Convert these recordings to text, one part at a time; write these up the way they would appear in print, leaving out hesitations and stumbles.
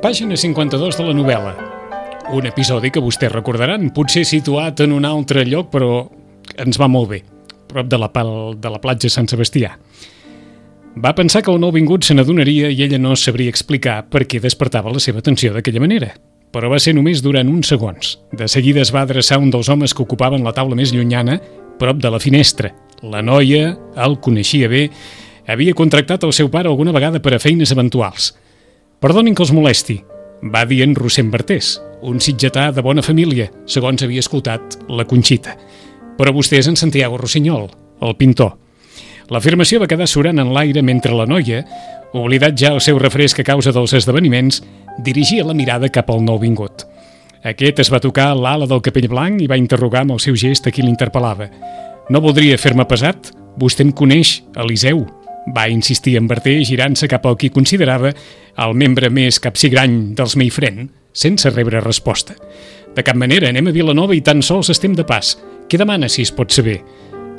Pàgina 52 de la novel·la. Un episodi que vostès recordaran, potser situat en un altre lloc, però ens va molt bé, prop de la platja Sant Sebastià. Va pensar que el nouvingut se n'adonaria i ella no sabria explicar per què despertava la seva atenció d'aquella manera. Però va ser només durant uns segons. De seguida es va adreçar un dels homes que ocupaven la taula més llunyana, prop de la finestra. La noia el coneixia bé, havia contractat el seu pare alguna vegada per a feines eventuals. «Perdonin que els molesti», va dir en Rossend Bertés, un sitgetà de bona família, segons havia escoltat la Conxita. Però vostè és en Santiago Rossinyol, el pintor. L'afirmació va quedar surant en l'aire mentre la noia, oblidat ja el seu refresc a causa dels esdeveniments, dirigia la mirada cap al nouvingut. Aquest es va tocar l'ala del capell blanc i va interrogar amb el seu gest a qui l'interpel·lava. «No voldria fer-me pesat? Vostè em coneix, Eliseu», va insistir en Berté, girant-se cap al qui considerava el membre més capsigrany dels Meifrent, sense rebre resposta. «De cap manera, anem a Vilanova i tan sols estem de pas. Què demana, si es pot saber?»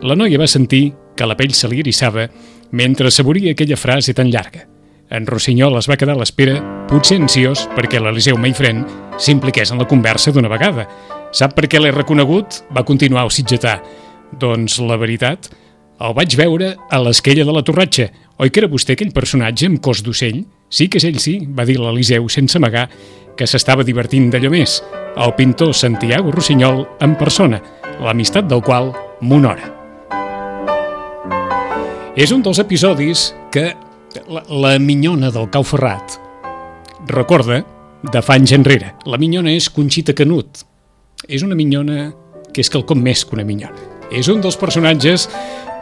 La noia va sentir que la pell se li eriçava mentre assaboria aquella frase tan llarga. En Rossinyol es va quedar a l'espera, potser ansiós perquè l'Eliseu Meifrent s'impliqués en la conversa d'una vegada. «Sap per què l'he reconegut?», va continuar el sitgetà. «Doncs la veritat, el vaig veure a l'esquella de la Torratxa. Oi que era vostè aquell personatge amb cos d'ocell?» «Sí que és ell, sí», va dir l'Eliseu sense amagar que s'estava divertint d'allò més. El pintor Santiago Rossinyol en persona, l'amistat del qual m'honora. És un dels episodis que la minyona del Cau Ferrat recorda de fa anys enrere. La minyona és Conxita Canut. És una minyona que és quelcom més que una minyona. És un dels personatges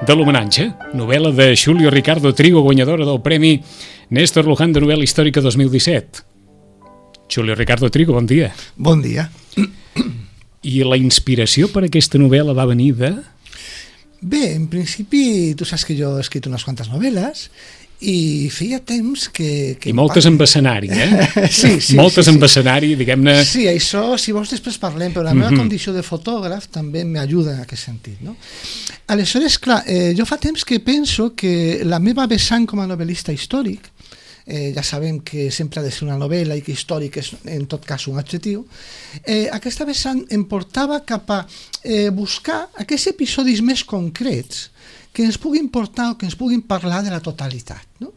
de l'Homenatge, novel·la de Xulio Ricardo Trigo, guanyadora del Premi Néstor Luján de novel·la històrica 2017. Xulio Ricardo Trigo, bon dia. Bon dia. I la inspiració per a aquesta novel·la va venir de...? Bé, en principi, tu saps que jo he escrit unes quantes novel·les i feia temps que I moltes amb escenari, Sí. Moltes amb escenari, diguem-ne... Sí, això, si vols després parlem, però la meva condició de fotògraf també m'ajuda en aquest sentit, no? Aleshores, clar, jo fa temps que penso que la meva vessant com a novel·lista històric, ja sabem que sempre ha de ser una novel·la i que històric és en tot cas un adjectiu, aquesta vessant em portava cap a buscar aquests episodis més concrets que ens puguin portar o que ens puguin parlar de la totalitat, no?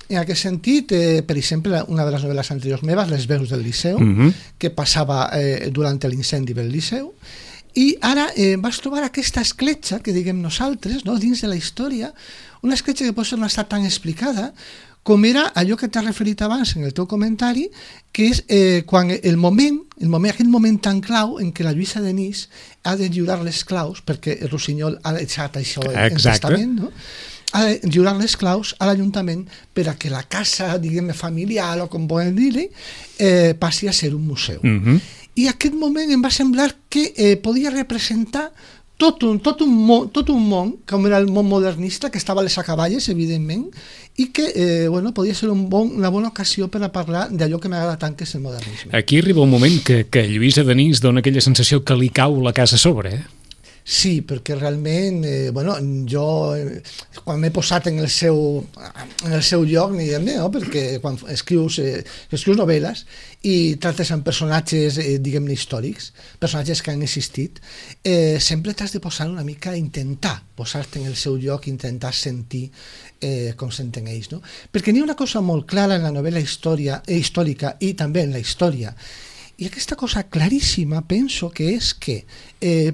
En aquest sentit, per exemple, una de les novel·les anteriors meves, Les veus del Liceu, que passava durant l'incendi del Liceu, i ara vas trobar aquesta escletxa que diguem nosaltres, no? Dins de la història, una escletxa que potser no ha estat tan explicada com era allò que t'has referit abans en el teu comentari, que és quan aquell moment tan clau en què la Lluïsa Denis ha de lliurar les claus, perquè el Rossinyol ha deixat això en testament, no? Ha de lliurar les claus a l'Ajuntament per a que la casa, diguem, familiar, o com volen dir-li, passi a ser un museu. I aquest moment em va semblar que podia representar tot un món, com era el món modernista, que estava a les acaballes, evidentment, i que podia ser una bona ocasió per a parlar d'allò que m'agrada tant, que és el modernisme. Aquí arriba un moment que Lluïsa Denis dona aquella sensació que li cau la casa a sobre, Sí, perquè realment, jo quan m'he posat en el seu lloc, perquè quan escrius novel·les i tractes amb personatges, diguem-ne, històrics, personatges que han existit, sempre t'has de posar una mica, intentar posar-te en el seu lloc, intentar sentir com senten ells, no? Perquè n'hi ha una cosa molt clara en la novel·la històrica i també en la història. I aquesta cosa claríssima penso que és que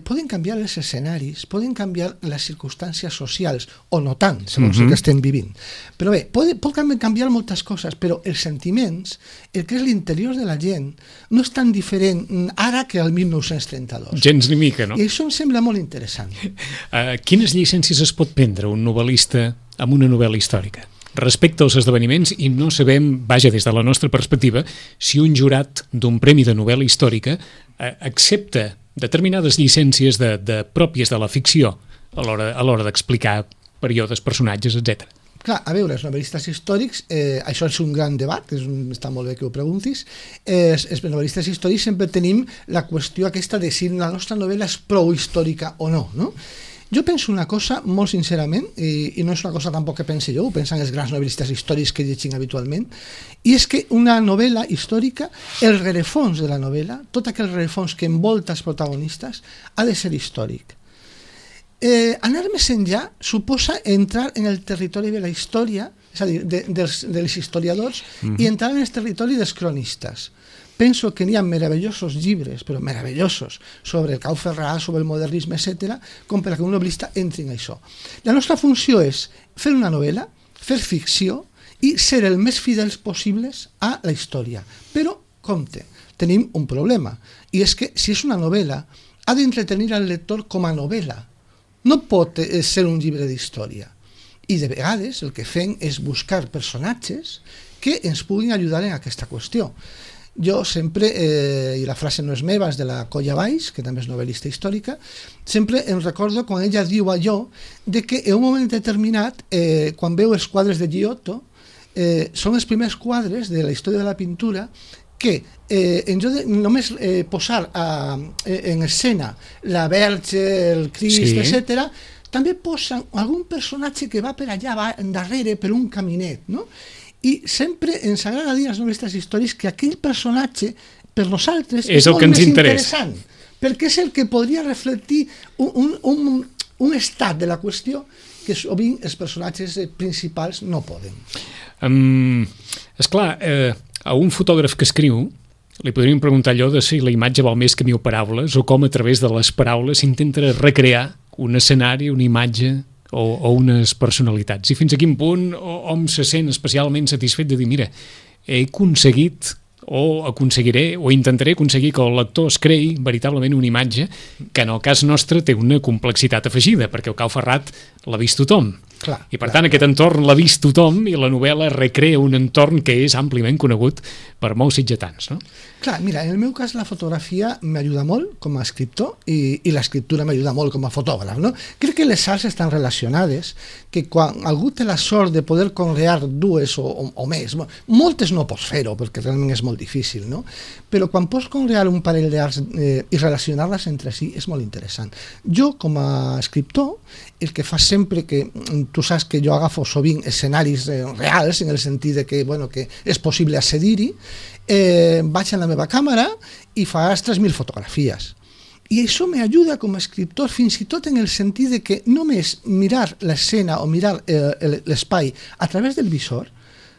poden canviar els escenaris, poden canviar les circumstàncies socials, o no tant, segons el que estem vivint. Però bé, pot canviar moltes coses, però els sentiments, el que és l'interior de la gent, no és tan diferent ara que el 1932. Gens ni mica, no? I això em sembla molt interessant. Quines llicències es pot prendre un novel·lista amb una novel·la històrica respecte als esdeveniments, i no sabem, vaja, des de la nostra perspectiva, si un jurat d'un premi de novel·la històrica accepta determinades llicències pròpies de la ficció a l'hora d'explicar períodes, personatges, etc. Clar, a veure, els novel·listes històrics, això és un gran debat, està molt bé que ho preguntis, els novel·listes històrics sempre tenim la qüestió aquesta de si la nostra novel·la és prou històrica o no, no? Jo penso una cosa molt sincerament, i no és una cosa tampoc que pense jo, ho pensen els grans novel·listes històrics que llegim habitualment, i és que una novel·la històrica, el rerefons de la novel·la, tot aquell rerefons que envolta els protagonistes, ha de ser històric. Anar més enllà suposa entrar en el territori de la història, és a dir, dels historiadors, i entrar en el territori dels cronistes. Penso que n'hi ha meravellosos llibres, però meravellosos, sobre el Cau Ferrà, sobre el modernisme, etc., com per a que un novel·lista entri en això. La nostra funció és fer una novel·la, fer ficció i ser el més fidels possibles a la història. Però, compte, tenim un problema, i és que si és una novel·la, ha d'entretenir al lector com a novel·la. No pot ser un llibre d'història. I de vegades el que fem és buscar personatges que ens puguin ajudar en aquesta qüestió. Jo sempre, i la frase no és meva, és de la Colla Valls, que també és novel·lista històrica, sempre em recordo quan ella diu allò de que en un moment determinat, quan veu els quadres de Giotto, són els primers quadres de la història de la pintura que en lloc de només posar en escena la Verge, el Crist, etc., també posen algun personatge que va per allà, va darrere per un caminet, no? I sempre ens agrada dir als novel·listes històrics que aquell personatge per nosaltres és molt més interessant, perquè és el que podria reflectir un estat de la qüestió que sovint els personatges principals no poden. Esclar, a un fotògraf que escriu li podríem preguntar allò de si la imatge val més que 1000 paraules o com a través de les paraules s'intenta recrear un escenari, una imatge o unes personalitats, i fins a quin punt hom se sent especialment satisfet de dir, mira, he aconseguit o aconseguiré o intentaré aconseguir que el lector es creï veritablement una imatge que en el cas nostre té una complexitat afegida, perquè el Cau Ferrà l'ha vist tothom. Clar, I per tant aquest entorn l'ha vist tothom i la novel·la recrea un entorn que és àmpliament conegut per molts sitgetans, no? Clar, mira, en el meu cas la fotografia m'ajuda molt com a escriptor i l'escriptura m'ajuda molt com a fotògraf, no? Crec que les arts estan relacionades, que quan algú té la sort de poder conrear dues o més, moltes no pots fer-ho perquè realment és molt difícil, no? Però quan pots conrear un parell d'arts i relacionar-les entre si és molt interessant. Jo com a escriptor el que fa sempre que tu saps que jo agafo sovint escenaris reals en el sentit de que, bueno, que és possible accedir-hi, vaig a la meva càmera i fas 3.000 fotografies. I això m'ajuda com a escriptor fins i tot en el sentit de que només mirar l'escena o mirar l'espai a través del visor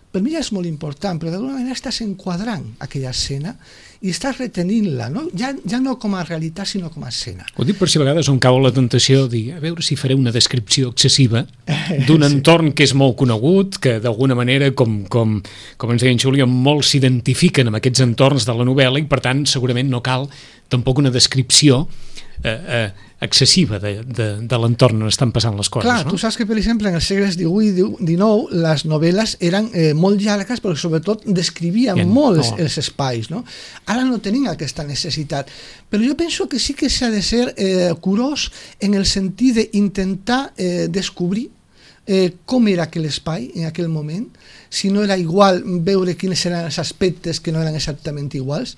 per mi ja és molt important, però d'alguna manera estàs enquadrant aquella escena i estàs retenint-la, no? Ja no com a realitat, sinó com a escena. Ho dic per si a vegades on cau la tentació de dir, a veure si faré una descripció excessiva d'un entorn que és molt conegut, que d'alguna manera, com ens deia en Júlia, molts s'identifiquen amb aquests entorns de la novel·la i per tant segurament no cal tampoc una descripció excessiva de l'entorn on estan passant les coses. Clar, no? Tu saps que, per exemple, en els segles XVIII i XIX les novel·les eren molt llargues, però sobretot descrivien molt els espais, no? Ara no tenim aquesta necessitat. Però jo penso que sí que s'ha de ser curós en el sentit d'intentar descobrir com era aquell espai en aquell moment, si no era igual, veure quins eren els aspectes que no eren exactament iguals,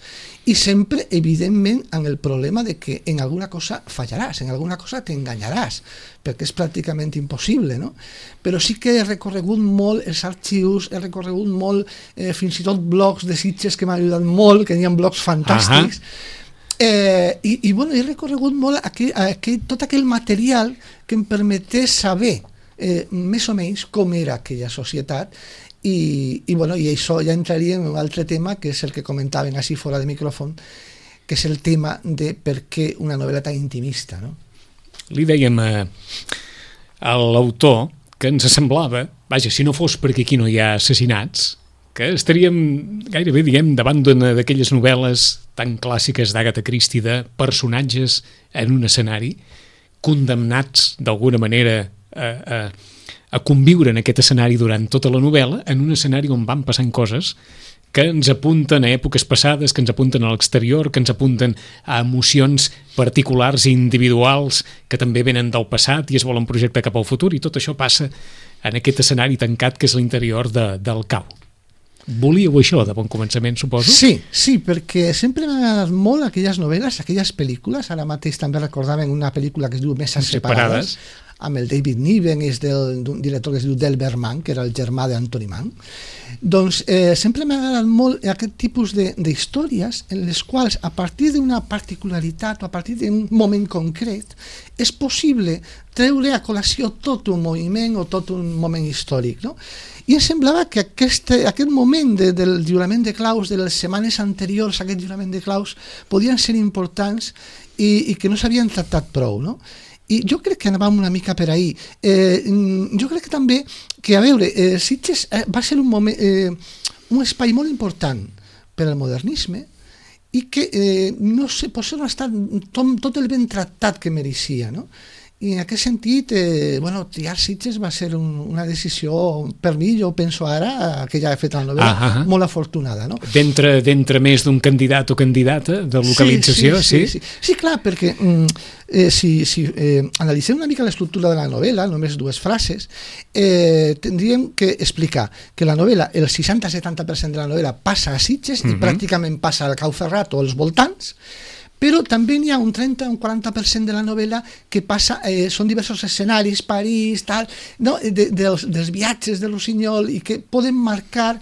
i sempre, evidentment, amb el problema de que en alguna cosa fallaràs, en alguna cosa t'enganyaràs, perquè és pràcticament impossible, no? Però sí que he recorregut molt els arxius, he recorregut molt fins i tot blogs de Sitges que m'han ajudat molt, que hi ha blogs fantàstics, bueno, he recorregut molt tot aquell material que em permetés saber més o menys com era aquella societat i això ja entraria en un altre tema que és el que comentaven així fora de micròfon, que és el tema de per què una novel·la tan intimista, no? Li dèiem a l'autor que ens semblava, vaja, si no fos perquè aquí no hi ha assassinats, que estaríem gairebé, diguem, davant d'una d'aquelles novel·les tan clàssiques d'Agatha Christie de personatges en un escenari condemnats d'alguna manera a conviure en aquest escenari durant tota la novel·la, en un escenari on van passant coses que ens apunten a èpoques passades, que ens apunten a l'exterior, que ens apunten a emocions particulars i individuals que també venen del passat i es volen projectar cap al futur, i tot això passa en aquest escenari tancat que és l'interior del cau. volíeu això de bon començament, suposo? Sí, perquè sempre m'han agradat molt aquelles novel·les, aquelles pel·lícules. Ara mateix també recordaven una pel·lícula que es diu Meses separades, amb el David Niven, és d'un director que es diu Delbert Mann, que era el germà d'Anthony Mann. Doncs sempre m'ha agradat molt aquest tipus d'històries en les quals, a partir d'una particularitat o a partir d'un moment concret, és possible treure a col·lació tot un moviment o tot un moment històric, no? I em semblava que aquest moment del lliurament de claus, de les setmanes anteriors a aquest lliurament de claus, podien ser importants i que no s'havien tractat prou, no? I jo crec que anàvem una mica per ahir. Jo crec que també que, a veure, Sitges va ser un espai molt important per al modernisme i que, no sé, potser no ha estat tot el ben tractat que mereixia, no? I en aquest sentit, triar Sitges va ser una decisió, per mi, jo penso ara, que ja he fet la novel·la, molt afortunada, no? D'entre més d'un candidat o candidata de localització, sí? Sí, clar, perquè si analitzem una mica l'estructura de la novel·la, només 2 frases, tindríem que explicar que la novel·la, el 60-70% de la novel·la passa a Sitges i pràcticament passa al Cau Ferrat o als voltants, però també n'hi ha un 30 o un 40% de la novel·la que passa, són diversos escenaris, París, tal, no? dels viatges de Rossinyol, i que poden marcar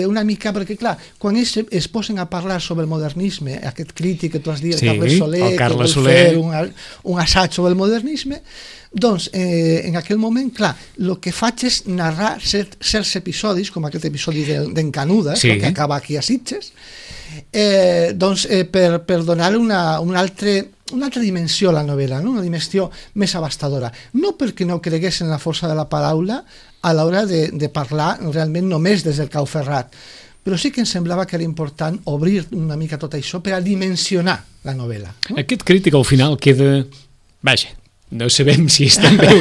una mica, perquè clar, quan ells es posen a parlar sobre el modernisme, aquest crític que tu has dit, el Carles Soler, que vol fer un assaig sobre el modernisme, doncs en aquell moment, clar, el que faig és narrar certs episodis, com aquest episodi d'en Canudes, que acaba aquí a Sitges, per donar una altra dimensió a la novel·la, no? Una dimensió més abastadora. No perquè no cregués en la força de la paraula a l'hora de parlar realment només des del Cau Ferrat, però sí que em semblava que era important obrir una mica tot això per a dimensionar la novel·la. No? Aquest crític al final queda... Vaja, no sabem si és també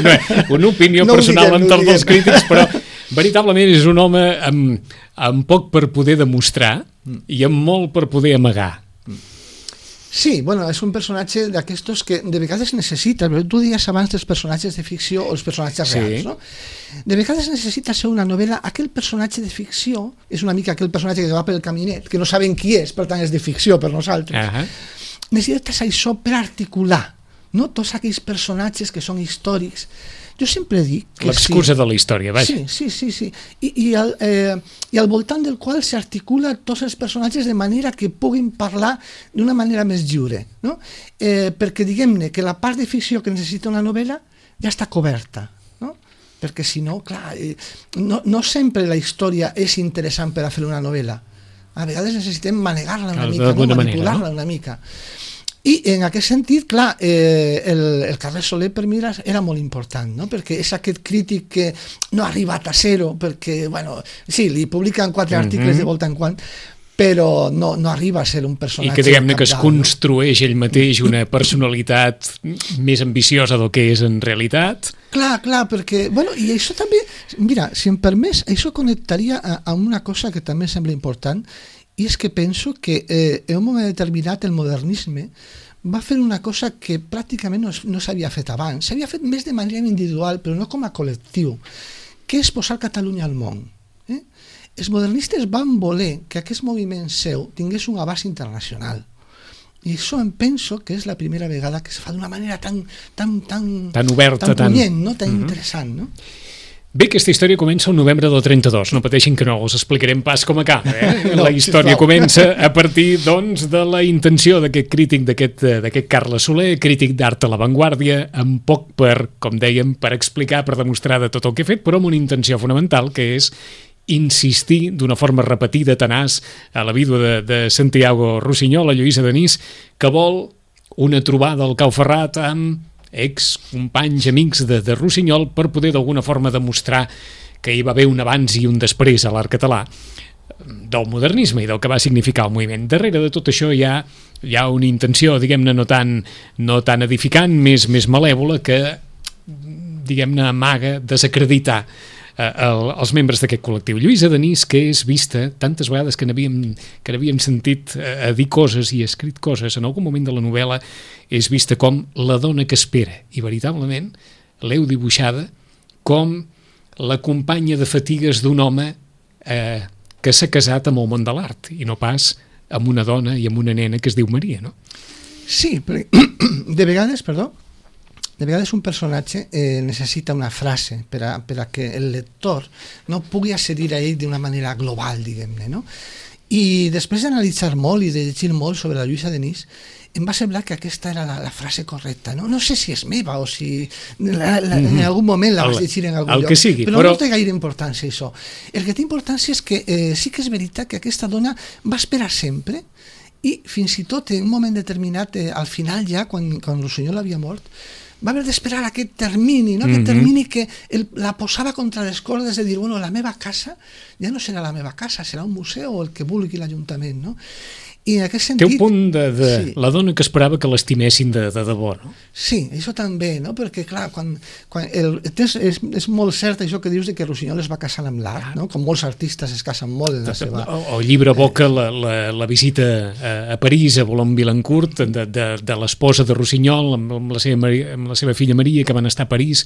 una opinió personal amb tots els crítics, però veritablement és un home amb poc per poder demostrar i amb molt per poder amagar. Sí, bueno, és un personatge d'aquestos que de vegades necessita, però tu deies abans dels personatges de ficció o els personatges reals, no? De vegades necessita ser una novel·la, aquell personatge de ficció és una mica aquell personatge que va pel caminet, que no sabem qui és, per tant és de ficció per nosaltres. Necessites això per articular, no? Tots aquells personatges que són històrics. Jo sempre dic que l'excusa de la història, vaja. Sí. I al voltant del qual s'articula tots els personatges de manera que puguin parlar d'una manera més lliure, no? Perquè diguem-ne que la part de ficció que necessita una novel·la ja està coberta, no? Perquè si no, clar, no sempre la història és interessant per a fer una novel·la. A vegades necessitem manegar-la una mica, manipular-la una mica. I en aquest sentit, clar, el Carles Soler per mi era molt important, no? Perquè és aquest crític que no ha arribat a zero, perquè, bueno, sí, li publiquen 4 articles de volta en quan, però no arriba a ser un personatge... I que diguem-ne que es construeix ell mateix una personalitat més ambiciosa del que és en realitat. Clar, perquè... Bueno, i això també... Mira, si em permets, això connectaria a una cosa que també em sembla important, i és que penso que en un moment determinat el modernisme va fer una cosa que pràcticament no s'havia fet abans. S'havia fet més de manera individual, però no com a col·lectiu, que és posar Catalunya al món. Els modernistes van voler que aquest moviment seu tingués un abast internacional. I això em penso que és la primera vegada que es fa d'una manera tan oberta, tan punyent, no? Tan interessant, no? Bé, aquesta història comença el novembre del 32, no pateixin que no us explicarem pas com acaba. La història comença a partir, doncs, de la intenció d'aquest crític, d'aquest Carles Soler, crític d'art a l'avantguàrdia, amb poc com dèiem, per explicar, per demostrar de tot el que ha fet, però amb una intenció fonamental, que és insistir d'una forma repetida, tenaç, a la vídua de Santiago Rossinyol, a Lluïsa Denís, que vol una trobada al Cau Ferrat amb ex-companys, amics de Rossinyol, per poder d'alguna forma demostrar que hi va haver un abans i un després a l'art català del modernisme i del que va significar el moviment. Darrere de tot això hi ha una intenció, diguem-ne, no tan edificant, més malèvola, que, diguem-ne, amaga desacreditar els membres d'aquest col·lectiu. Lluïsa Denís, que és vista tantes vegades que n'havíem sentit a dir coses i escrit coses, en algun moment de la novel·la és vista com la dona que espera, i veritablement l'heu dibuixada com la companya de fatigues d'un home que s'ha casat amb el món de l'art i no pas amb una dona i amb una nena que es diu Maria, no? Sí, perquè de vegades un personatge necessita una frase per a que el lector no pugui accedir a ell d'una manera global, diguem-ne, no? I després d'analitzar molt i de llegir molt sobre la Lluïsa Denis, em va semblar que aquesta era la frase correcta. No sé si és meva o si en algun moment la vas llegir en algun lloc, que sigui, però no té gaire importància això. El que té importància és que sí que és veritat que aquesta dona va esperar sempre i fins i tot en un moment determinat, al final ja, quan Rossinyol havia mort, va haver d'esperar aquest termini, no? Aquest termini que la posava contra les cordes de dir, bueno, la meva casa ja no serà la meva casa, serà un museu o el que vulgui l'Ajuntament, no? I en aquest sentit... Té un punt de sí. La dona que esperava que l'estimessin de debò, no? Sí, això també, no? Perquè, clar, és molt cert això que dius de que Rossinyol es va casar amb l'art, no? Com molts artistes es casen molt en la seva... El llibre evoca la visita a París, a Boulogne-Billancourt, de l'esposa de Rossinyol amb la seva filla Maria, que van estar a París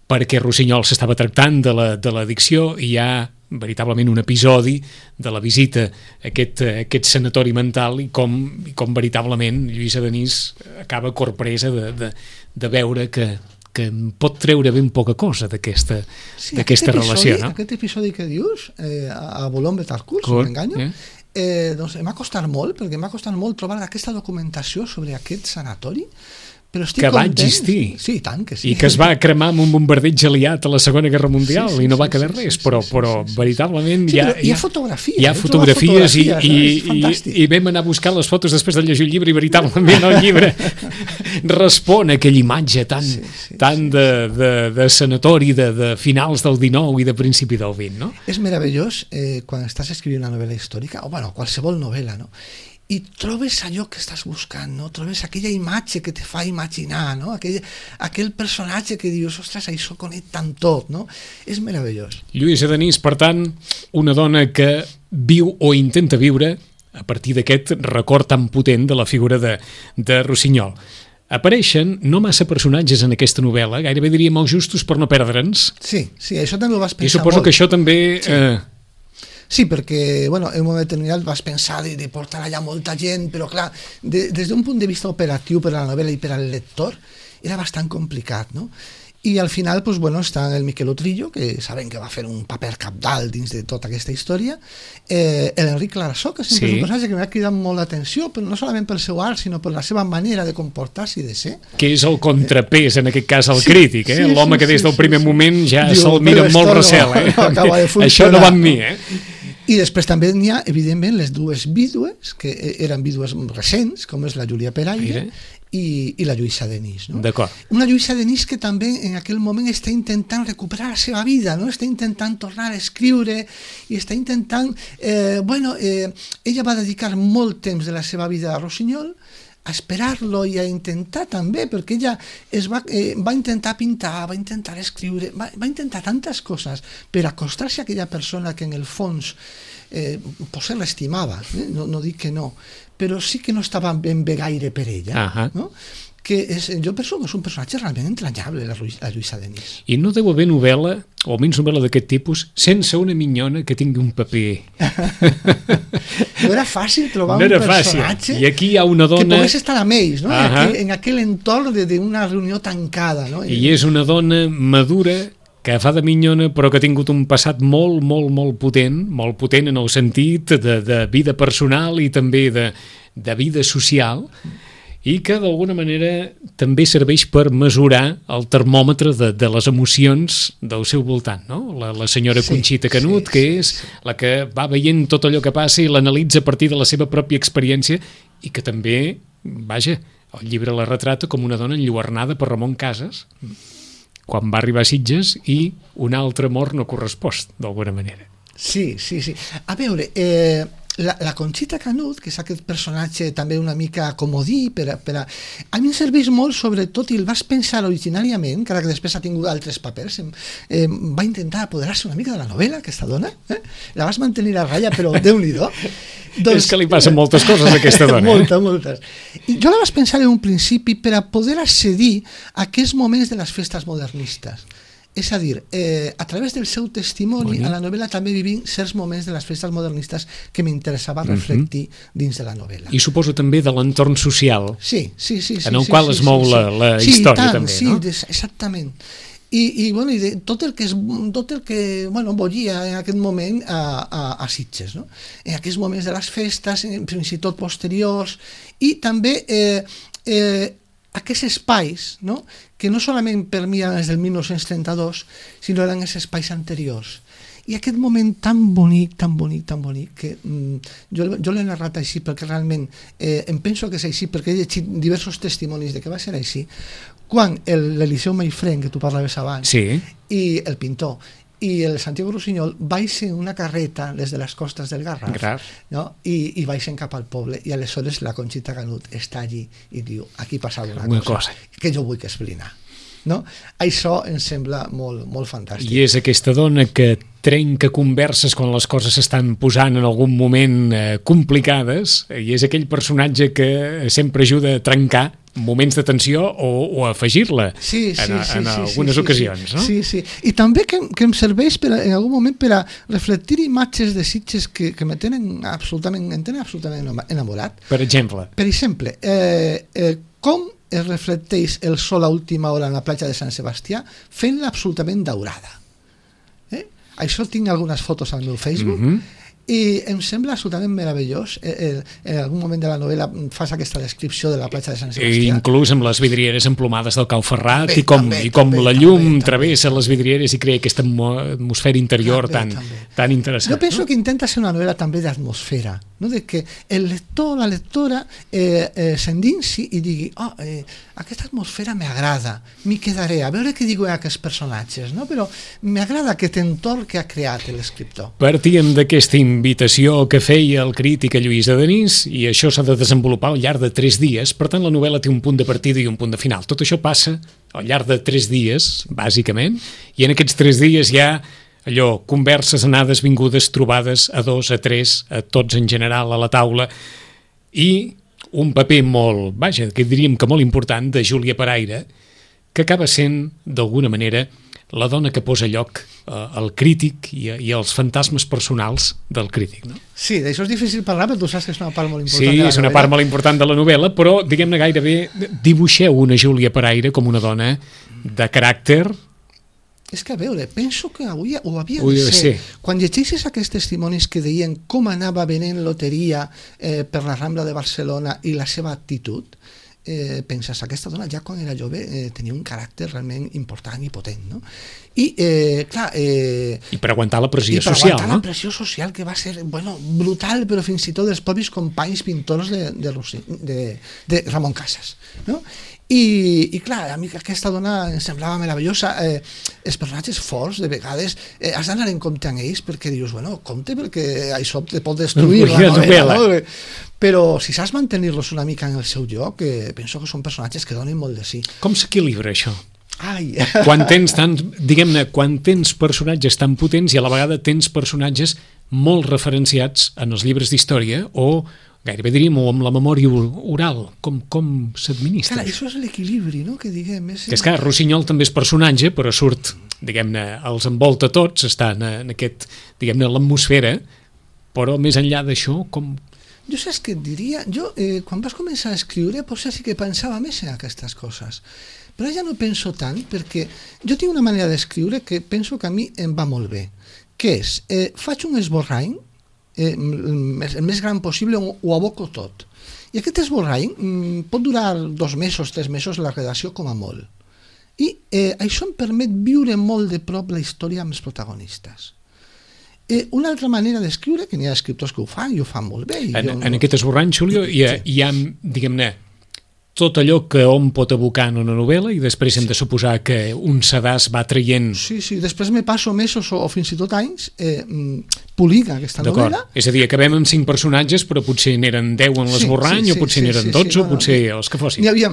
perquè Rossinyol s'estava tractant de l'addicció i hi ha veritablement un episodi de la visita a aquest sanatori mental i com veritablement Lluïsa Denis acaba corpresa de veure que pot treure ben poca cosa d'aquesta relació, no? Aquest episodi que dius, a Boulogne-Billancourt, si no m'enganyo, doncs em va costar molt, perquè em va costar molt trobar aquesta documentació sobre aquest sanatori, però estic que content. Va existir. Sí, tant que sí. I que es va cremar amb un bombardeig aliat a la Segona Guerra Mundial i no va quedar res, però veritablement hi ha fotografies. Hi ha fotografies i vam anar a buscar les fotos després de llegir el llibre i veritablement el llibre respon a aquella imatge tan de sanatori de finals del XIX i de principi del XX, no? És meravellós quan estàs escrivint una novel·la històrica, o bueno, qualsevol novel·la, no? I trobes allò que estàs buscant, no? Trobes aquella imatge que te fa imaginar, no? Aquell personatge que dius, ostres, això connecta amb tot, no? És meravellós. Lluïsa Denis, per tant, una dona que viu o intenta viure a partir d'aquest record tan potent de la figura de Rossinyol. Apareixen no massa personatges en aquesta novel·la, gairebé diríem els justos per no perdre'ns. Sí, això també ho vas pensar molt. I suposo que això també... Sí, perquè, bueno, en un moment determinat vas pensar de portar allà molta gent, però clar, des d'un punt de vista operatiu per a la novel·la i per al lector, era bastant complicat, no? I al final, doncs, bueno, està el Miquel Utrillo, que sabem que va fer un paper cabdal dins de tota aquesta història, l'Enric Clarasó, que sempre és un personatge que m'ha cridat molt l'atenció, però no solament pel seu art, sinó per la seva manera de comportar-se i de ser. Que és el contrapès, en aquest cas, al crític, l'home que des del primer moment ja se'l mira amb molt recel, Això no va amb mi, I després també n'hi ha, evidentment, les dues vídues, que eren vídues recents, com és la Júlia Peraire i la Lluïsa Denis. No? D'acord. Una Lluïsa Denis que també en aquell moment està intentant recuperar la seva vida, no? Està intentant tornar a escriure i està intentant... ella va dedicar molt temps de la seva vida a Rossinyol, a esperar-lo i a intentar també, perquè ella va intentar pintar, va intentar escriure, va intentar tantes coses per acostar-se a aquella persona que en el fons potser l'estimava, no dic que no, però sí que no estava ben bé gaire per ella, no? Jo penso que és un personatge realment entranyable, la Lluïsa Denis. I no deu haver novel·la, o almenys novel·la d'aquest tipus, sense una minyona que tingui un paper. No era fàcil trobar un personatge i aquí hi ha una dona... que pogués estar amb ells, no? En aquell entorn d'una reunió tancada. No? I és una dona madura que fa de minyona però que ha tingut un passat molt, molt, molt potent en el sentit de vida personal i també de vida social, i que d'alguna manera també serveix per mesurar el termòmetre de les emocions del seu voltant, no? La senyora Conxita Canut, que és la que va veient tot allò que passa i l'analitza a partir de la seva pròpia experiència i que també, el llibre la retrata com una dona enlluernada per Ramon Casas quan va arribar a Sitges i un altre amor no correspost, d'alguna manera. Sí. A veure... La Conxita Canut, que és aquest personatge també una mica comodí, a mi em serveix molt, sobretot, i el vas pensar originàriament, encara que després ha tingut altres papers, va intentar apoderar-se una mica de la novel·la, aquesta dona, la vas mantenir a ratlla, però Déu-n'hi-do. És que li passen moltes coses a aquesta dona. Moltes. I jo la vas pensar en un principi per a poder accedir a aquests moments de les festes modernistes. És a dir, a través del seu testimoni, a la novel·la també vivim certs moments de les festes modernistes que m'interessava reflectir dins de la novel·la. I suposo també de l'entorn social, sí, en el qual es mou la història, també, no? Sí, exactament. I de tot el que bullia en aquest moment a Sitges, no? En aquests moments de les festes, fins i tot posteriors, i també aquests espais, no? Que no solament per mi eren des del 1932, sinó eren els espais anteriors. I aquest moment tan bonic, que jo l'he narrat així perquè realment em penso que és així, perquè he llegit diversos testimonis de que va ser així, quan l'Eliseu Maifrén, que tu parlaves abans, i el pintor, i el Santiago Rusiñol baixen una carreta des de les costes del Garraf, no? I baixen cap al poble, i aleshores la Conxita Canut està allí i diu, aquí passava una cosa que jo vull explicar, no? Això em sembla molt fantàstic. I és aquesta dona que trenca converses quan les coses s'estan posant en algun moment complicades, i és aquell personatge que sempre ajuda a trencar moments de tensió o a afegir-la en algunes ocasions, no? Sí. I també que em serveix en algun moment per a reflectir imatges de Sitges que em tenen absolutament enamorat. Per exemple, com es reflecteix el sol a última hora en la platja de Sant Sebastià fent-la absolutament daurada. Això tinc algunes fotos al meu Facebook, i em sembla absolutament meravellós. En algun moment de la novel·la fas aquesta descripció de la platja de Sant Sebastià. Inclús amb les vidrieres emplomades del Cau Ferrat, i com la llum travessa les vidrieres i crea aquesta atmosfera interior tan interessant. Jo penso que intenta ser una novel·la també d'atmosfera, no? De que el lector, la lectora s'endinsi i digui aquesta atmosfera m'agrada, m'hi quedaré, a veure què diuen aquests personatges, no? Però m'agrada aquest entorn que ha creat l'escriptor. Partíem d'aquesta invitació que feia el crític a Lluís Adenís, i això s'ha de desenvolupar al llarg de 3 dies, per tant la novel·la té un punt de partida i un punt de final. Tot això passa al llarg de 3 dies, bàsicament, i en aquests 3 dies hi ha allò, converses, anades, vingudes, trobades a 2, a 3, a tots en general a la taula, i un paper que diríem que molt important, de Júlia Paraire, que acaba sent, d'alguna manera, la dona que posa lloc al crític i als fantasmes personals del crític, no? Sí, d'això és difícil parlar, però tu saps que és una part molt important de la novel·la. Sí, és una part molt important de la novel·la, però, diguem-ne, gairebé dibuixeu una Júlia Paraire com una dona de caràcter. És que, a veure, penso que avui ho havia de ser. Quan llegeixes aquests testimonis que deien com anava venent loteria per la Rambla de Barcelona i la seva actitud, penses, aquesta dona ja quan era jove tenia un caràcter realment important i potent, no? I, clar... I per aguantar la pressió social, no? I per aguantar la pressió social, que va ser, brutal, però fins i tot dels propis companys pintors de Ramon Casas, no? I clar, a mi aquesta dona em semblava meravellosa. Els personatges forts, de vegades, has d'anar en compte amb ells, perquè dius, compte, perquè això te pot destruir la novel·la, no? Però si saps mantenir-los una mica en el seu lloc, penso que són personatges que donen molt de sí. Com s'equilibra això? Quan tens personatges tan potents i a la vegada tens personatges molt referenciats en els llibres d'història o gairebé diríem amb la memòria oral, com s'administra? Clar, això és l'equilibri, no?, que diguem. És que Rusiñol també és personatge, però surt, diguem-ne, els envolta tots, està en aquest, diguem-ne, l'atmosfera, però més enllà d'això, com... Jo saps què et diria? Jo, quan vas començar a escriure, potser sí que pensava més en aquestes coses, però ja no penso tant, perquè jo tinc una manera d'escriure que penso que a mi em va molt bé, que és, faig un esborrany, el més gran possible, ho aboco tot, i aquest esborrany pot durar 2 mesos, 3 mesos la redacció com a molt, i això em permet viure molt de prop la història amb els protagonistes. Una altra manera d'escriure, que n'hi ha escriptors que ho fan i ho fan molt bé. En aquest esborrany, Xulio, hi ha, diguem-ne, tot allò que hom pot abocar en una novel·la i després hem de suposar que un sedàs va traient... Sí, després me passo mesos o fins i tot anys polint aquesta novel·la. És a dir, acabem amb 5 personatges, però potser n'eren 10 en l'esborrany, o potser n'eren 12, o potser els que fossin. N'hi havia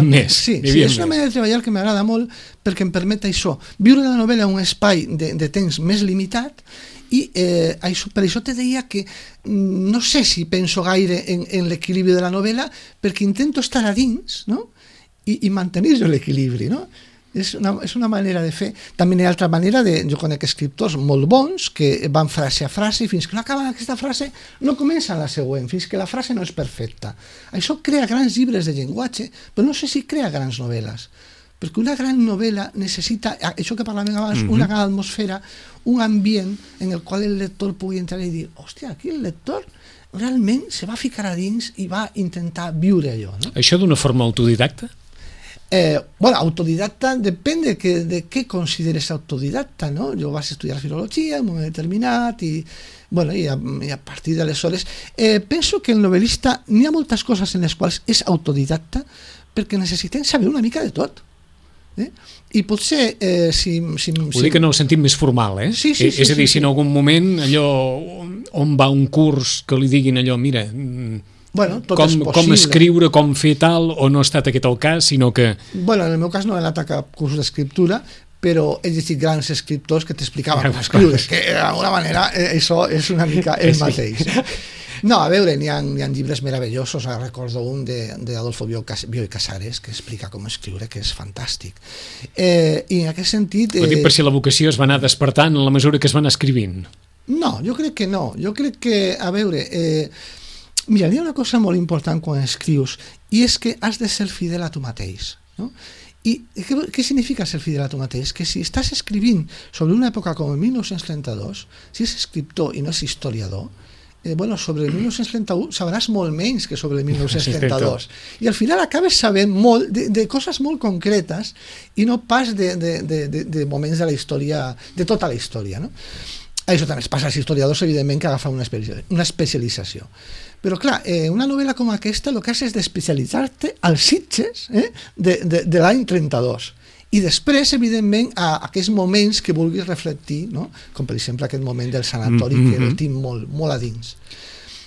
més. Sí, és una manera de treballar que m'agrada molt perquè em permet això, viure la novel·la en un espai de temps més limitat. I per això te deia que no sé si penso gaire en l'equilibri de la novel·la, perquè intento estar a dins, no? I mantenir l'equilibri, no? És una manera de fer. També hi ha altra manera jo conec escriptors molt bons que van frase a frase i fins que no acaben aquesta frase no comencen la següent, fins que la frase no és perfecta. Això crea grans llibres de llenguatge, però no sé si crea grans novel·les, perquè una gran novel·la necessita, això que parlàvem abans, una gran atmosfera, un ambient en el qual el lector pugui entrar i dir, hòstia, aquí el lector realment se va ficar a dins i va intentar viure allò, no? Això d'una forma autodidacta? Bueno, autodidacta depende de què consideres autodidacta, no? Jo vaig estudiar filologia en un moment determinat i a partir d'aleshores penso que el novel·lista n'hi ha moltes coses en les quals és autodidacta perquè necessitem saber una mica de tot. I potser Vull dir que no ho sentim més formal, eh? Sí, és a dir, si en algun moment allò on va un curs que li diguin allò, mira, com escriure, com fer tal, o no ha estat aquest el cas, sinó que... Bueno, en el meu cas no he anat a cap curs d'escriptura, però he llegit grans escriptors que t'explicaven com escriure, que d'alguna manera això és una mica el mateix. No, a veure, n'hi ha llibres meravellosos, recordo un d'Adolfo Bioy Casares que explica com escriure, que és fantàstic. I en aquest sentit... Ho dic per si la vocació es va anar despertant en la mesura que es va anar escrivint. No, jo crec que no. Jo crec que, a veure... Mira, hi ha una cosa molt important quan escrius, i és que has de ser fidel a tu mateix, no? I què significa ser fidel a tu mateix? Que si estàs escrivint sobre una època com el 1932, si és escriptor i no és historiador, sobre el 1931 sabràs molt menys que sobre el 1932 i al final acabes sabent molt de coses molt concretes i no pas de moments de la història, de tota la història, no? Això també es passa als historiadors, evidentment, que agafen una especialització. Però, clar, una novel·la com aquesta el que has és d'especialitzar-te als Sitges de l'any 32. I després, evidentment, a aquests moments que vulguis reflectir, no? Com per exemple aquest moment del sanatori, que el tinc molt a dins.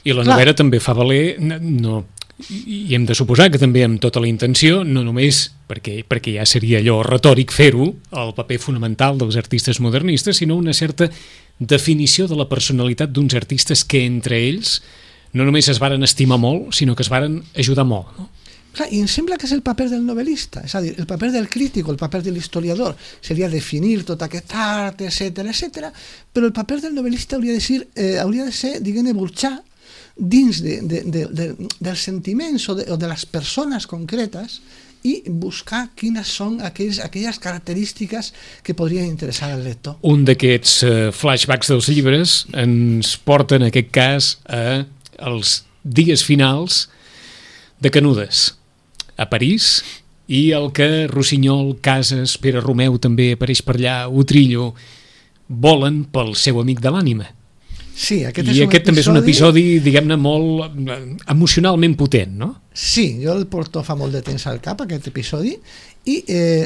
I la novel·la també fa valer, i hem de suposar que també amb tota la intenció, no només perquè ja seria allò retòric fer-ho, el paper fonamental dels artistes modernistes, sinó una certa definició de la personalitat d'uns artistes que entre ells no només es varen estimar molt, sinó que es varen ajudar molt, no? Clar, i em sembla que és el paper del novel·lista, és a dir, el paper del crític o el paper de l'historiador seria definir tot aquest art, etc., però el paper del novel·lista hauria de ser, diguem-ne, burxar dins dels sentiments o de les persones concretes i buscar quines són aquelles característiques que podrien interessar al lector. Un d'aquests flashbacks dels llibres ens porta, en aquest cas, als dies finals de Canudes, a París, i el que Rossinyol, Casas, Pere Romeu també apareix per allà, Utrillo, volen pel seu amic de l'ànima. Sí, aquest també és un episodi, diguem-ne, molt emocionalment potent, no? Sí, jo el porto fa molt de temps al cap, aquest episodi, i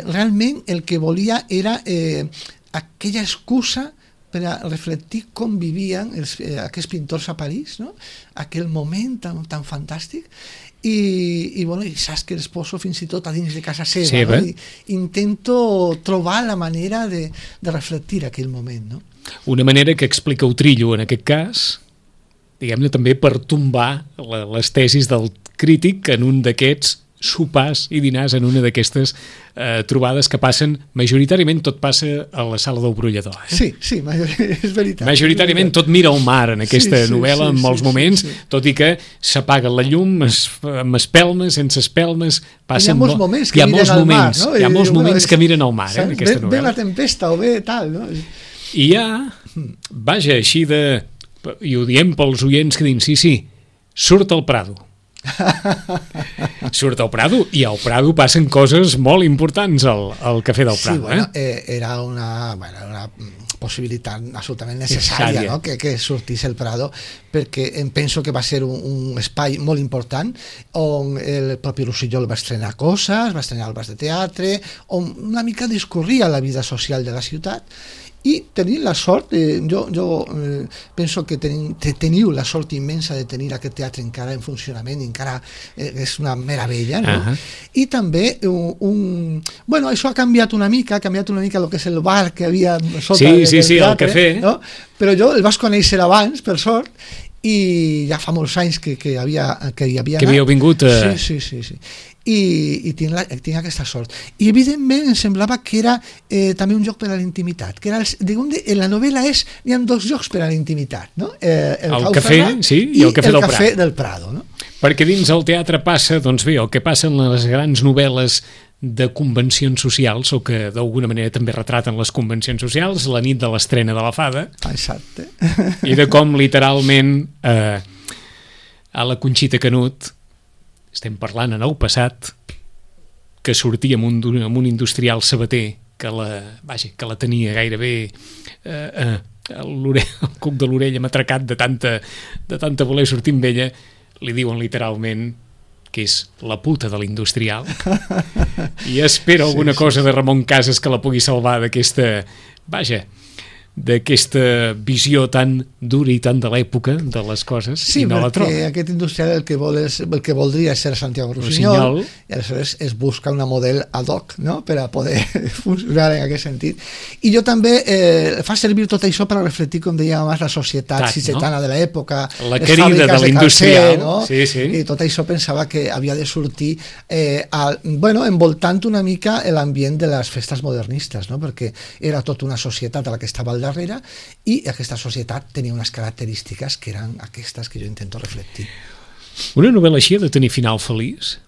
realment el que volia era aquella excusa per a reflectir com vivien aquests pintors a París, no? Aquell moment tan fantàstic, i saps que els poso fins i tot a dins de casa seva. No? Intento trobar la manera de reflectir aquell moment, no? Una manera que explica Utrillo en aquest cas, diguem-ne també per tombar les tesis del crític en un d'aquests sopars i dinars, en una d'aquestes trobades que passen, majoritàriament tot passa a la sala del brollador. Sí, és veritat. Majoritàriament tot mira al mar en aquesta novel·la en molts moments, tot i que s'apaga la llum, amb espelmes, sense espelmes, hi ha molts moments que miren al mar, no? Hi ha molts moments que miren al mar, en aquesta novel·la. Ve la tempesta o ve tal, no? I vaja, així i ho diem pels oients que diuen, sí, surt al Prado. Surt al Prado, i al Prado passen coses molt importants al Cafè del Prado. Era una possibilitat absolutament necessària, no? que sortís el Prado, perquè em penso que va ser un espai molt important on el propi Rossinyol va estrenar coses, va estrenar obres de teatre, on una mica discorria la vida social de la ciutat. I tenim la sort, jo penso que teniu la sort immensa de tenir aquest teatre encara en funcionament, encara és una meravella, no? I també això ha canviat una mica el que és el bar que havia sota del teatre, el cafè, no? Però jo el vaig conèixer abans, per sort, i ja fa molts anys que hi havia anat. havíeu vingut a... Sí. I tinc aquesta sort. I evidentment em semblava que era també un joc per a la intimitat, que era en la novel·la hi ha dos jocs per a la intimitat, no? El cafè, sí, i el cafè del Prado, no? Perquè dins el teatre passa, doncs bé, el que passa en les grans novel·les de convencions socials, o que d'alguna manera també retraten les convencions socials, la nit de l'estrena de la Fada. Exacte. I de com literalment a la Conxita Canut, estem parlant en el passat, que sortia amb un industrial sabater que la tenia gairebé el cuc de l'orella matracat de tanta voler sortir amb ella, li diuen literalment que és la puta de l'industrial, i espero alguna cosa de Ramon Casas que la pugui salvar d'aquesta visió tan dura i tan de l'època de les coses, i no la troba. Sí, perquè aquest industrial el que voldria és ser Santiago Rusiñol, i aleshores es busca una model ad hoc, no?, per a poder funcionar en aquest sentit. I jo també fa servir tot això per a reflectir, com deia abans, la societat sicetana de l'època, la querida de l'industrial, no? Sí. I tot això pensava que havia de sortir envoltant una mica l'ambient de les festes modernistes, no?, perquè era tota una societat a la que estava al darrere, i aquesta societat tenia unes característiques que eren aquestes que jo intento reflectir. Una novel·la així ha de tenir final feliç?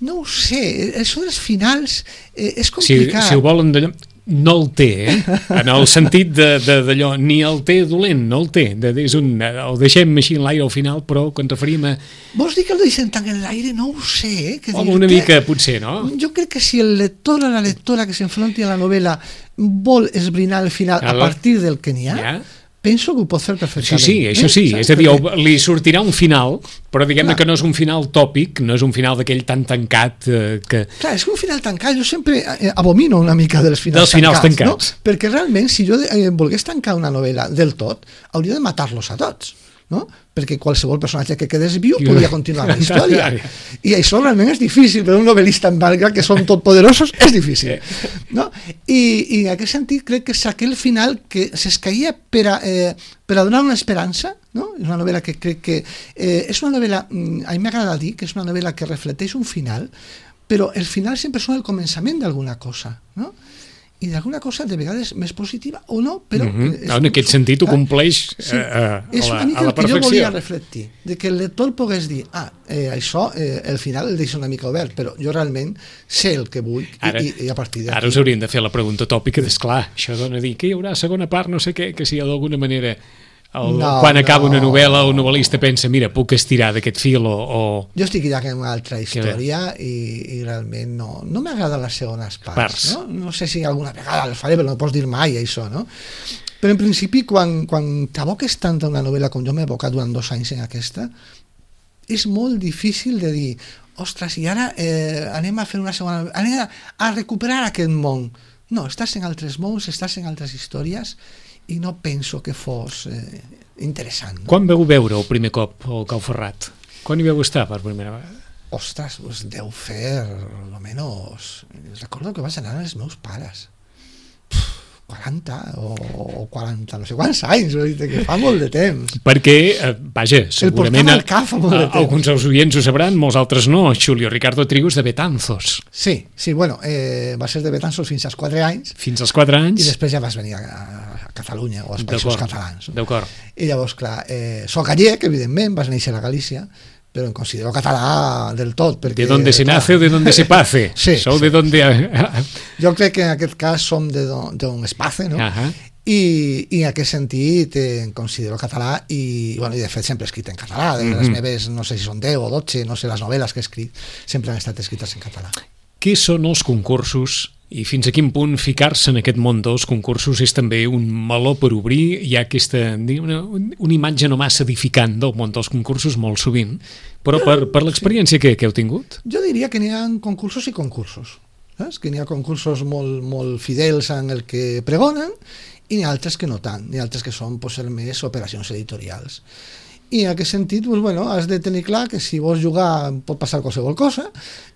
No ho sé, això dels finals és complicat. Si ho volen d'allò... No el té, en el sentit d'allò, ni el té dolent, no el té, el deixem així en l'aire al final, però quan referim a... Vols dir que el deixem tant en l'aire? No ho sé. Home, una mica potser, no? Jo crec que si el lector o la lectora que s'enfronti a la novel·la vol esbrinar el final a partir del que n'hi ha, penso que ho pot fer perfectament. Sí, això sí, és a dir, li sortirà un final, però diguem-ne que no és un final tòpic, no és un final d'aquell tan tancat que... Clar, és un final tancat, jo sempre abomino una mica dels finals tancats, no? Perquè realment, si jo volgués tancar una novel·la del tot, hauria de matar-los a tots, no? Perquè qualsevol personatge que quedés viu podia continuar la història, i això realment és difícil per un novel·lista en belga que són totpoderosos, és difícil, no? I en aquest sentit crec que és aquell final que s'escaia per a donar una esperança, no? És una novel·la que crec que és una novel·la, a mi m'agrada dir que és una novel·la que reflecteix un final, però el final sempre són el començament d'alguna cosa, no? I d'alguna cosa de vegades més positiva o no, però... En aquest sentit ho compleix a la perfecció. És una mica el que jo volia reflectir, de que el lector pogués dir, això, el final el deixo una mica obert, però jo realment sé el que vull, i a partir d'aquí... Ara us hauríem de fer la pregunta tòpica d'esclar, això dona a dir que hi haurà segona part, no sé què, que si d'alguna manera... quan acaba una novel·la, el novel·lista pensa, mira, puc estirar d'aquest fil o... Jo estic ja en una altra història i realment no m'agraden les segones parts, no? No sé si alguna vegada el faré, però no pots dir mai això, no? Però en principi, quan t'aboques tant a una novel·la com jo m'he abocat durant 2 anys en aquesta, és molt difícil de dir, ostres, i ara anem a fer una segona... anem a recuperar aquest món. No, estàs en altres mons, estàs en altres històries, i no penso que fos interessant. No? Quan vau veure el primer cop el Cau Ferrat? Quan hi vau estar per primera vegada? Ostres, doncs deu fer almenys... Recordo que vaig anar als meus pares. 40 o 40, no sé quants anys, que fa molt de temps. Perquè, segurament alguns dels oients ho sabran, molts altres no. Julio Ricardo Trigo és de Betanzos. Sí, bueno, va ser de Betanzos fins als 4 anys. Fins als 4 anys. I després ja vas venir a Catalunya o als països catalans. D'acord. I llavors, clar, soc gallec, evidentment, vas néixer a Galícia, pero en considero català del tot. Perquè, de donde se nace o de donde se pace. Sí, Sou de donde... Jo crec que en aquest cas som d'un espace, no? I en aquest sentit em considero català i de fet sempre he escrit en català. Les meves, no sé si són 10 o 12, no sé, les novel·les que he escrit sempre han estat escrites en català. Què són els concursos i fins a quin punt ficar-se en aquest món dels concursos és també un meló per obrir? Hi ha aquesta una imatge no massa edificant del món dels concursos molt sovint, però per l'experiència que heu tingut? Jo diria que n'hi ha concursos i concursos. Saps? Que n'hi ha concursos molt fidels en el que pregonen i n'hi ha altres que no tant, n'hi ha altres que són més operacions editorials. i en aquest sentit doncs, bueno, has de tenir clar que si vols jugar pot passar qualsevol cosa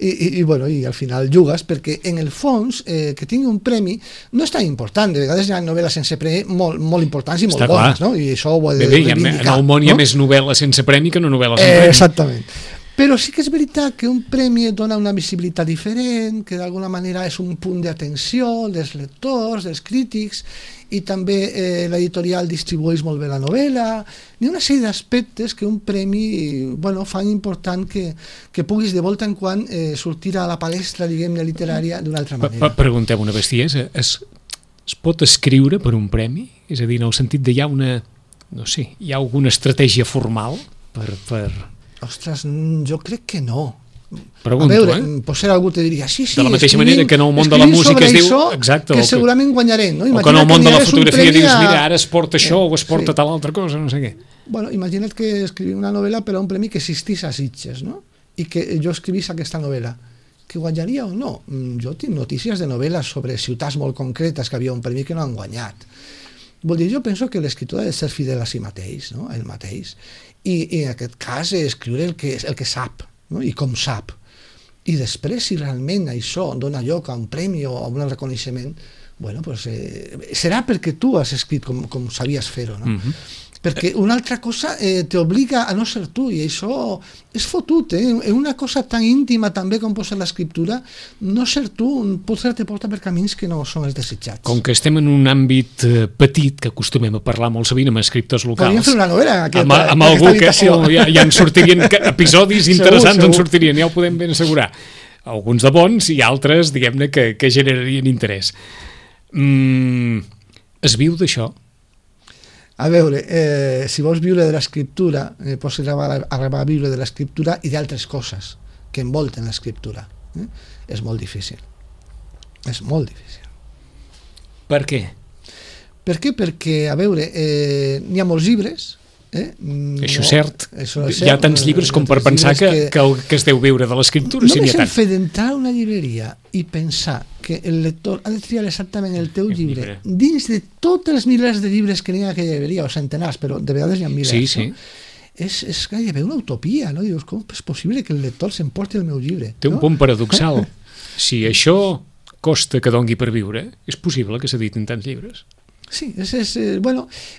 i al final jugues, perquè en el fons que tingui un premi no és tan important. De vegades hi ha novel·les sense premi molt importants i molt bones, no? I això ho he de reivindicar. En el món hi ha més novel·la sense premi que no novel·la sense premi. Exactament. Però sí que és veritat que un premi et dona una visibilitat diferent, que d'alguna manera és un punt d'atenció dels lectors, dels crítics, i també l'editorial distribueix molt bé la novel·la. Hi ha una sèrie d'aspectes que un premi fan important que puguis de volta en quan sortir a la palestra, diguem-ne, literària d'una altra manera. Preguntem una bestiesa. Es pot escriure per un premi? És a dir, en el sentit de hi ha alguna estratègia formal per... Ostres, jo crec que no. Pregunto, a veure, potser algú te diria sí, de la mateixa manera que en el món de la música es diu exacte, que segurament guanyarem, no? O que en el món de la fotografia dius, mira, ara es porta això o es porta tal altra cosa, no sé què. Bueno, imagina't que escrivim una novel·la per a un premi que existís a Sitges, no? I que jo escrivís aquesta novel·la, que guanyaria o no? Jo tinc notícies de novel·les sobre ciutats molt concretes que havia un premi que no han guanyat. Vol dir, jo penso que l'escriptor ha de ser fidel a si mateix, no? A ell mateix, i en aquest cas escriure el que sap, no? I com sap, i després si realment això dona lloc a un premi o a un reconeixement, serà perquè tu has escrit com sabies fer-ho, no? Perquè una altra cosa t'obliga a no ser tu, i això és fotut, en una cosa tan íntima també com pot ser l'escriptura, no ser tu potser te porta per camins que no són els desitjats. Com que estem en un àmbit petit, que acostumem a parlar molt sovint amb escriptors locals, podríem fer una novel·la amb algú que ja en sortirien episodis interessants, en sortirien, ja ho podem ben assegurar, alguns de bons i altres, diguem-ne, que generarien interès. Es viu d'això? A veure, si vols viure de l'escriptura, pots arribar a viure de l'escriptura i d'altres coses que envolten l'escriptura. És molt difícil. És molt difícil. Per què? Per què? Perquè, a veure, n'hi ha molts llibres. Això és cert. Hi ha tants llibres com per pensar que es deu viure de l'escriptura. Només el fet d'entrar a una llibreria i pensar que el lector ha de triar exactament el teu llibre dins de tots els milers de llibres que n'hi ha a aquella llibreria, o centenars, però de vegades hi ha milers, no? És gairebé una utopia, no? Dius, com és possible que el lector s'emporti el meu llibre? Té un punt paradoxal. Si això costa que dongui per viure, és possible que s'editin tants llibres? Sí,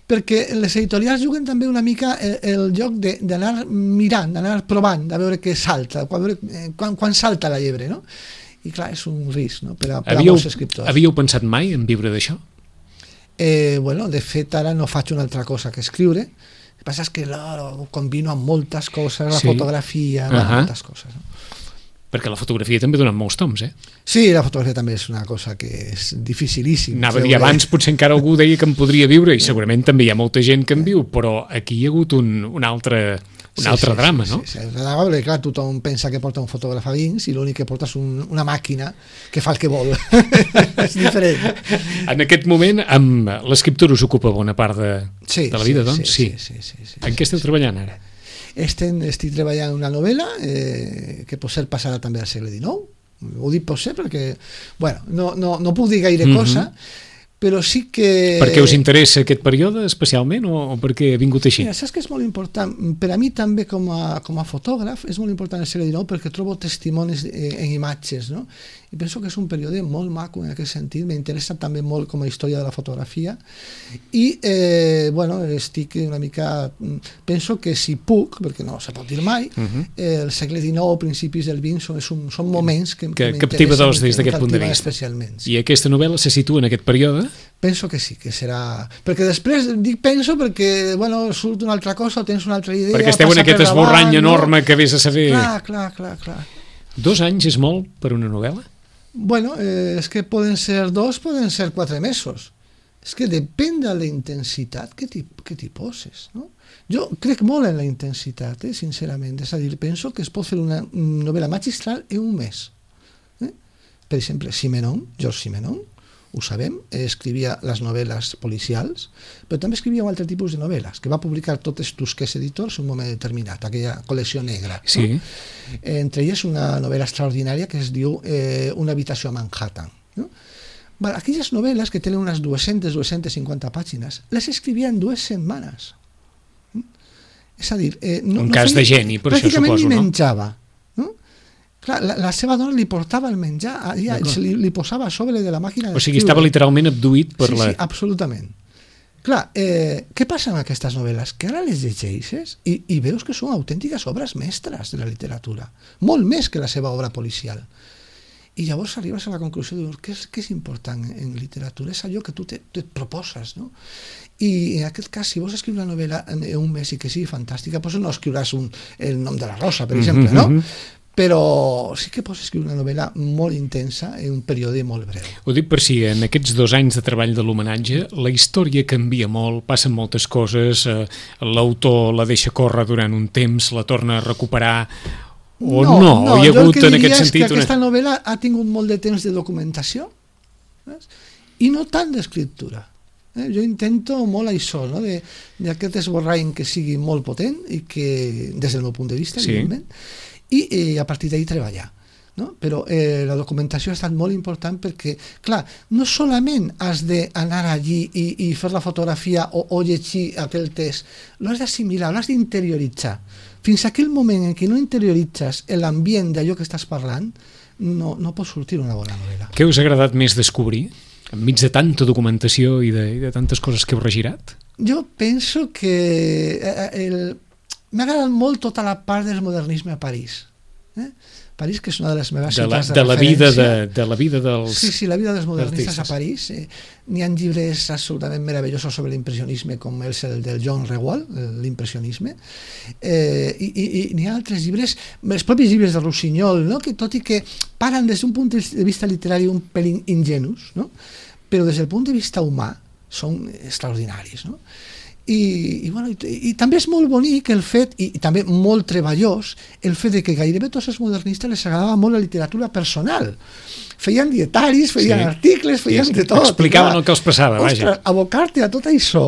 perquè les editorials juguen també una mica el joc d'anar mirant, d'anar provant, de veure què salta, quan salta la llebre, no? I clar, és un risc, no? Per a molts escriptors. Havíeu pensat mai en viure d'això? De fet, ara no faig una altra cosa que escriure. El que passa és que combino amb moltes coses, la fotografia, moltes coses, no? Perquè la fotografia també dona molts toms, Sí, la fotografia també és una cosa que és dificilíssim. Anava a dir abans, potser encara algú deia que en podria viure, i segurament també hi ha molta gent que en viu, però aquí hi ha hagut un altre drama, no? Sí, clar, tothom pensa que porta un fotògraf a dins i l'únic que porta és una màquina que fa el que vol. És diferent. En aquest moment, amb l'escriptura us ocupa bona part de la vida, doncs? Sí. En què esteu treballant ara? Estic treballant en una novel·la que potser passarà també al segle XIX. Ho dic potser perquè no puc dir gaire cosa, però sí que... Per què us interessa aquest període especialment o per què ha vingut així? Mira, saps que és molt important? Per a mi també com a fotògraf és molt important el segle XIX perquè trobo testimonis en imatges, no? I penso que és un període molt maco en aquest sentit, m'interessa també molt com a història de la fotografia i estic una mica... Penso que si puc, perquè no se pot dir mai, el segle XIX, principis del XX són moments que captivadors des d'aquest punt de vista. I aquesta novel·la se situa en aquest període? Penso que sí, que serà... Perquè després dic penso perquè surt una altra cosa o tens una altra idea... Perquè esteu en aquest esborrany enorme que vés a saber... Clar. 2 anys és molt per una novel·la? És que poden ser 2, poden ser 4 mesos. És que depèn de la intensitat que t'hi poses, no? Jo crec molt en la intensitat, sincerament. És a dir, penso que es pot fer una novel·la magistral en un mes. Per exemple, Georges Simenon, ho sabem, escrivia les novel·les policials, però també escrivia un altre tipus de novel·les, que va publicar totes Tusquets Editors en un moment determinat, aquella col·lecció negra. Sí. No? Entre elles una novel·la extraordinària que es diu Una habitació a Manhattan. No? Aquelles novel·les que tenen unes 200-250 pàgines, les escrivia en 2 setmanes. És a dir, un cas de geni, per això suposo, no? Pràcticament ni menjava. No? Clar, la seva dona li portava el menjar, li posava a sobre de la màquina d'escriure. O sigui, estava literalment abduït per Sí, absolutament. Clar, què passa amb aquestes novel·les? Que ara les llegeixes i veus que són autèntiques obres mestres de la literatura, molt més que la seva obra policial. I llavors arribes a la conclusió de què és important en literatura? És allò que tu et proposes, no? I en aquest cas, si vols escriure una novel·la en un mes i que sigui fantàstica, doncs no escriuràs el nom de la rosa, per exemple, no? Però sí que pots escriure una novel·la molt intensa en un període molt breu. Ho dic per si en aquests 2 anys de treball de l'homenatge la història canvia molt, passen moltes coses, l'autor la deixa córrer durant un temps, la torna a recuperar o no? O hi ha hagut en aquest sentit... Jo el que diria és que aquesta novel·la ha tingut molt de temps de documentació i no tant d'escriptura. Jo intento molt això, no? D'aquest esborrany que sigui molt potent i que, des del meu punt de vista, evidentment, i a partir d'ahir treballar. No? Però la documentació ha estat molt important perquè, clar, no solament has d'anar allí i fer la fotografia o llegir aquell text, l'has d'assimilar, l'has d'interioritzar. Fins a aquell moment en què no interioritzes l'ambient d'allò que estàs parlant, no pot sortir una bona novel·la. Què us ha agradat més descobrir? Enmig de tanta documentació i de tantes coses que heu regirat? Jo penso que m'ha agradat molt tota la part del modernisme a París. París, que és una de les meves ciutats de referència. De la vida dels... Sí, la vida dels modernistes a París. N'hi ha llibres absolutament meravellosos sobre l'impressionisme, com és el del Jean Renoir, l'impressionisme, i n'hi ha altres llibres, els propis llibres de Rossinyol, no? Que tot i que parlen des d'un punt de vista literari un pelín ingenus, no? Però des del punt de vista humà són extraordinaris, no? I també és molt bonic el fet, i també molt treballós, el fet de que gairebé tots els modernistes les agradava molt la literatura personal. Feien dietaris, feien articles, feien de tot. Explicaven el que els passava, vaja. Ostres, abocar-te a tot això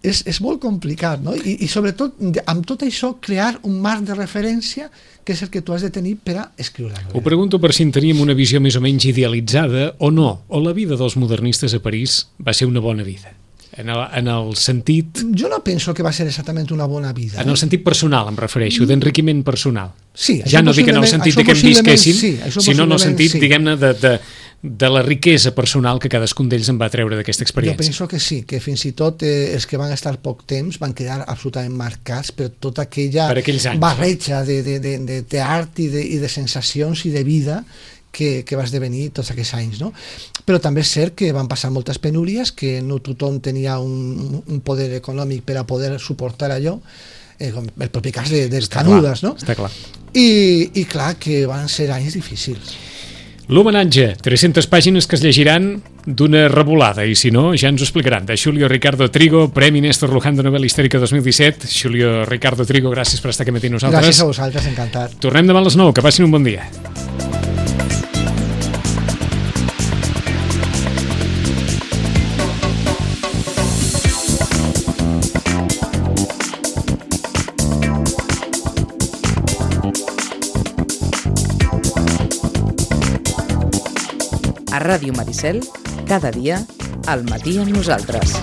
és molt complicat, no? I sobretot, amb tot això, crear un marc de referència que és el que tu has de tenir per a escriure. Ho pregunto per si en teníem una visió més o menys idealitzada o no, o la vida dels modernistes a París va ser una bona vida. En el sentit... Jo no penso que va ser exactament una bona vida. En el sentit personal, em refereixo, d'enriquiment personal. Sí, ja no dic en el sentit que em visquessin, sinó en el sentit, diguem-ne, de la riquesa personal que cadascun d'ells en va treure d'aquesta experiència. Jo penso que sí, que fins i tot els que van estar poc temps van quedar absolutament marcats per tota aquella barreja de teatre i de sensacions i de vida que va esdevenir tots aquests anys, no? Però també és cert que van passar moltes penúries, que no tothom tenia un poder econòmic per a poder suportar allò, com el propi cas dels Canudes, no? Està clar. I clar que van ser anys difícils. L'homenatge, 300 pàgines que es llegiran d'una revolada, i si no, ja ens ho explicaran. De Xulio Ricardo Trigo, Premi Néstor Luján de Novel·la Històrica 2017. Xulio Ricardo Trigo, gràcies per estar aquí matí nosaltres. Gràcies a vosaltres, encantat. Tornem demà a les 9, que passin un bon dia. A Ràdio Maricel, cada dia, al matí amb nosaltres.